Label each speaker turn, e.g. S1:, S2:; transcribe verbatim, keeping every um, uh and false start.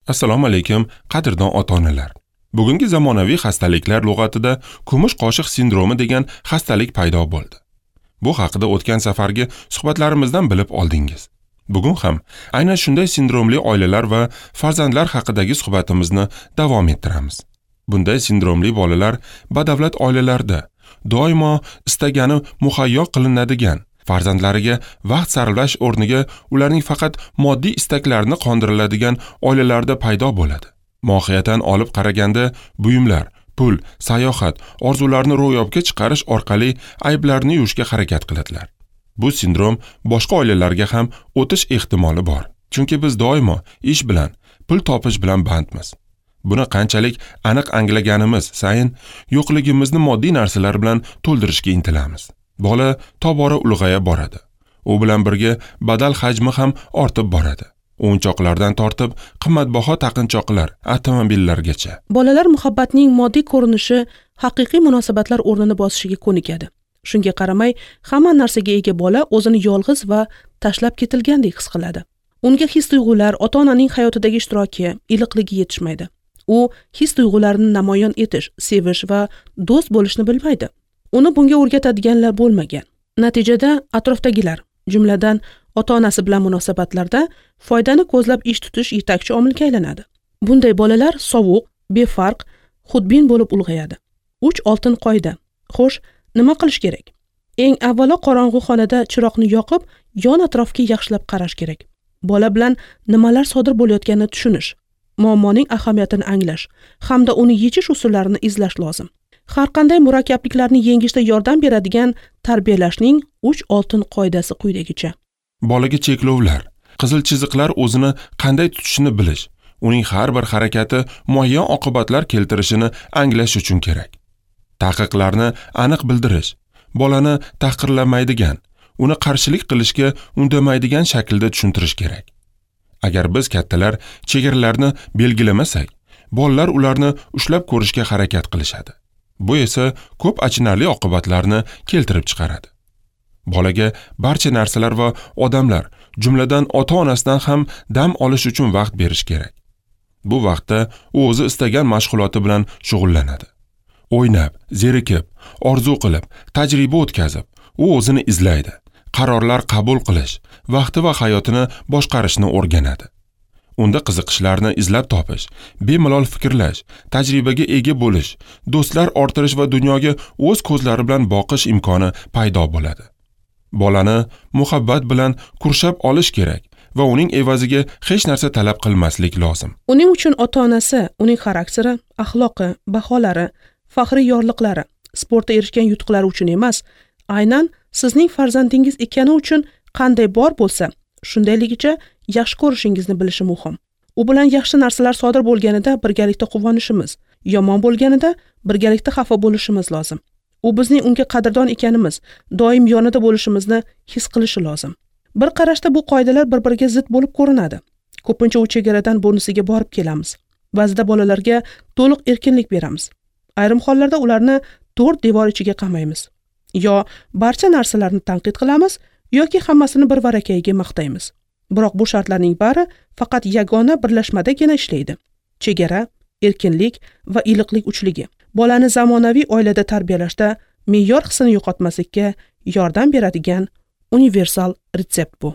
S1: Assalomu alaykum, qadrdon ota-onalar. Bugungi zamonaviy xastaliklar lug'atida kumush qoshiq sindromi degan xastalik paydo bo'ldi. Bu haqida o'tgan safargi suhbatlarimizdan bilib oldingiz. Bugun ham aynan shunday sindromli oilalar va farzandlar haqidagi suhbatimizni davom ettiramiz. Bunday sindromli bolalar badavlat oilalarda doimo istagani muhayyo qilinadigan, farzandlariga vaqt sarflash o'rniga ularning faqat moddiy istaklarini qondiriladigan oilalarda paydo bo'ladi. Mohiyatan olib qaraganda buyumlar, pul, sayohat, orzularni ro'yobga chiqarish orqali ayblarni yuvishga harakat qiladilar. Bu sindrom boshqa oilalarga ham o'tish ehtimoli bor. Chunki biz doimo ish bilan, pul topish bilan bandmiz. Buni qanchalik aniq anglaganimiz sayin yo'qligimizni moddiy narsalar bilan to'ldirishga intilamiz. Bola tobora ulg'aya boradi. U bilan birga badal hajmi ham ortib boradi. O'yinchoqlardan tortib qimmatbaho taqinchoqlar, avtomobillargacha.
S2: Bolalar muhabbatning moddiy ko'rinishi haqiqiy munosabatlar o'rnini bosishiga ko'nikadi. Shunga qaramay, hamma narsaga ega bola o'zini yolg'iz va tashlab ketilgandek his qiladi. Unga his-tuyg'ular, ota-onaning hayotidagi ishtiroki, iliqligi yetishmaydi. U his-tuyg'ularini namoyon etish, sevish va do'st bo'lishni bilmaydi. Uni bunga o'rgatadiganlar bo'lmagan. Natijada atrofdagilar, jumladan ota-onasi bilan munosabatlarda foydani ko'zlab ish tutish yetakchi omilga aylanadi. Bunday bolalar sovuq, befarq, xudbin bo'lib ulg'ayadi. Uch oltin qoida. Xo'sh, nima qilish kerak? Eng avvalo qorong'u xonada chiroqni yoqib, yon atrofga yaxshilab qarash kerak. Bola bilan nimalar sodir bo'layotganini tushunish, muammoning ahamiyatini anglash hamda uni yechish usullarini izlash lozim. Har qanday murakkabliklarni yengishda yordam beradigan tarbiyalashning uch oltin qoidasi quyidagicha.
S1: Bolaga cheklovlar, qizil chiziqlar o'zini qanday tutishini bilish, uning har bir harakati muayyan oqibatlar keltirishini anglash uchun kerak. Taqiqlarni aniq bildirish, bolani tahqirlamaydigan, uni qarshilik qilishga undamaydigan shaklda tushuntirish kerak. Agar biz kattalar chegaralarni belgilamasak, bolalar ularni ushlab ko'rishga harakat qilishadi. Bu esa ko'p achinarli oqibatlarni keltirib chiqaradi. Bolaga barcha narsalar va odamlar, jumladan ota-onasidan ham dam olish uchun vaqt berish kerak. Bu vaqtda u o'zi istagan mashg'uloti bilan shug'ullanadi. O'ynab, zerikib, orzu qilib, tajriba o'tkazib, u o'zini izlaydi, qarorlar qabul qilish, vaqti va hayotini boshqarishni o'rganadi. Unda qiziqishlarni izlab topish, bemalol fikrlash, tajribaga ega bo'lish, do'stlar orttirish va dunyoga o'z ko'zlari bilan boqish imkoni paydo bo'ladi. Bolani muhabbat bilan qurshab olish kerak va uning evaziga hech narsa talab qilmaslik lozim.
S2: Uning uchun ota-onasi, uning xarakteri, axloqi, baholari, faxriy yorliqlari, sportda erishgan yutuqlari uchun emas, aynan sizning farzandingiz ekani uchun qanday bor bo'lsa, shundayligicha yaxshi ko'rishingizni bilishi muhim. U bilan yaxshi narsalar sodir bo'lganida birgalikda quvonishimiz, yomon bo'lganida birgalikda xafa bo'lishimiz lozim. U bizning unga qadrdon ekanimiz, doim yonida bo'lishimizni his qilishi lozim. Bir qarashda bu qoidalar bir-biriga zid bo'lib ko'rinadi. Ko'pincha u chegaradan bunisiga borib kelamiz. Ba'zida bolalarga to'liq erkinlik beramiz. Ayrim hollarda ularni to'rt devor ichiga qamaymiz. Yo barcha narsalarni tanqid qilamiz, yoki hammasini bir varakayiga maqtaymiz. Biroq bu shartlarning bari faqat yagona birlashmadagina ishlaydi. Chegara, erkinlik va iliqlik uchligi. Bolani zamonaviy oilada tarbiyalashda me'yor hissini yo'qotmaslikka yordam beradigan universal retsept bu.